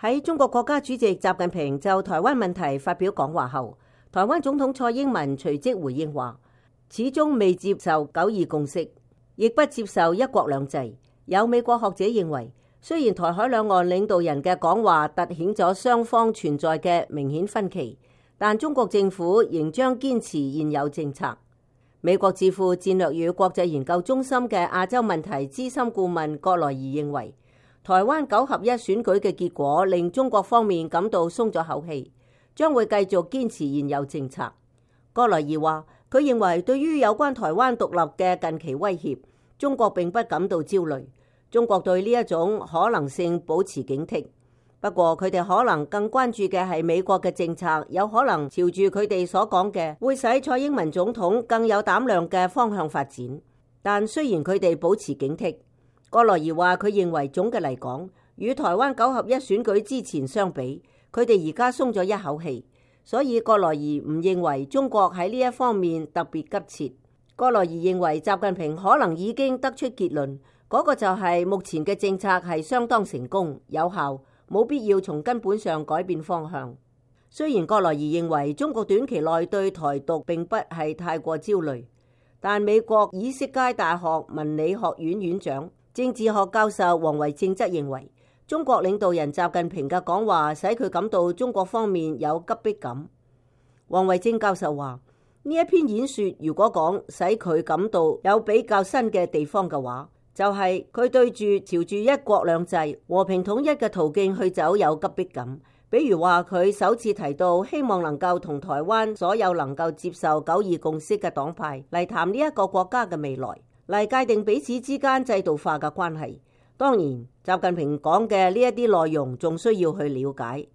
喺中國國家主席習近平就台灣問題發表講話後，台灣總統蔡英文隨即回應話，始終未接受九二共識，亦不接受一國兩制。有美國學者認為，雖然台海兩岸領導人嘅講話凸顯咗雙方存在嘅明顯分歧，但中國政府仍將堅持現有政策。美國智庫戰略與國際研究中心嘅亞洲問題資深顧問葛萊儀認為，台灣9合1選舉嘅結果令中國方面感到鬆咗口氣，將會繼續堅持現有政策。葛萊儀話，佢認為對於有關台灣獨立嘅近期威脅，中國並不感到焦慮。中國對呢一種可能性保持警惕，不過佢哋可能更關注嘅係美國嘅政策有可能朝住佢哋所講嘅會使蔡英文總統更有膽量嘅方向發展。但雖然佢哋保持警惕，葛萊儀話佢認為總嘅嚟講，與台灣9合1選舉之前相比，佢哋而家鬆咗一口氣，所以葛萊儀唔認為中國喺呢一方面特別急切。葛萊儀認為習近平可能已經得出結論，嗰個就係目前嘅政策係相當成功有效，冇必要從根本上改變方向。雖然葛萊儀認為中國短期內對台獨並不係太過焦慮，但美國以色列大學文理學院院長、政治學教授王維正則認為，中國領導人習近平嘅講話使佢感到中國方面有急迫感。王維正教授話，呢一篇演說如果講使佢感到有比較新嘅地方嘅話，就係佢對住朝住一國兩制和平統一嘅途徑去走有急迫感。比如話佢首次提到希望能夠同台灣所有能夠接受九二共識嘅黨派嚟談呢一個國家嘅未來，嚟界定彼此之間制度化嘅關係。當然，習近平講嘅呢一啲內容仲需要去了解。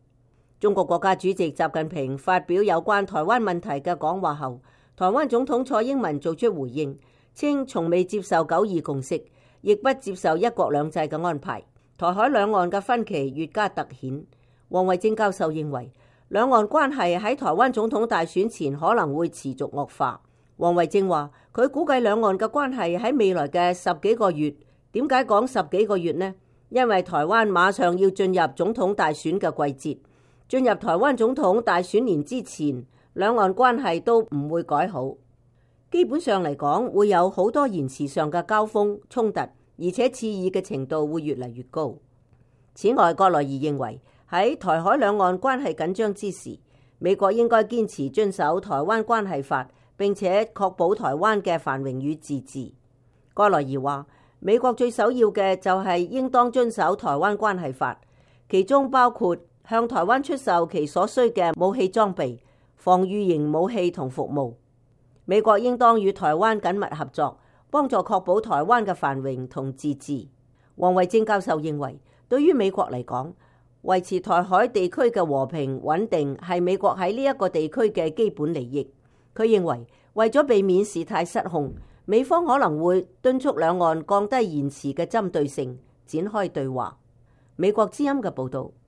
中國國家主席習近平發表有關台灣問題嘅講話後，台灣總統蔡英文做出回應，稱從未接受九二共識，亦不接受一國兩制嘅安排。台海兩岸嘅分歧越加突顯。王維正教授認為，兩岸關係喺台灣總統大選前可能會持續惡化。王維正話，佢估計兩岸嘅關係喺未來嘅10幾個月。點解講10幾個月呢？因為台灣馬上要進入總統大選嘅季節，進入台灣總統大選年之前，兩岸關係都唔會改好。基本上嚟講，會有好多言辭上嘅交鋒衝突，而且刺耳嘅程度會越嚟越高。此外，葛萊儀認為喺台海兩岸關係緊張之時，美國應該堅持遵守台灣關係法，並且確保台灣嘅繁榮與自治。葛萊儀話，美國最首要嘅就係應當遵守台灣關係法，其中包括向台灣出售其所需嘅武器裝備、防禦型武器同服務。美國應當與台灣緊密合作，幫助確保台灣嘅繁榮同自治。王維正教授認為，對於美國嚟講，維持台海地區嘅和平穩定係美國喺呢一個地區嘅基本利益。佢認為，為咗避免事態失控，美方可能會敦促兩岸降低言辭嘅針對性，展開對話。美國之音嘅報導。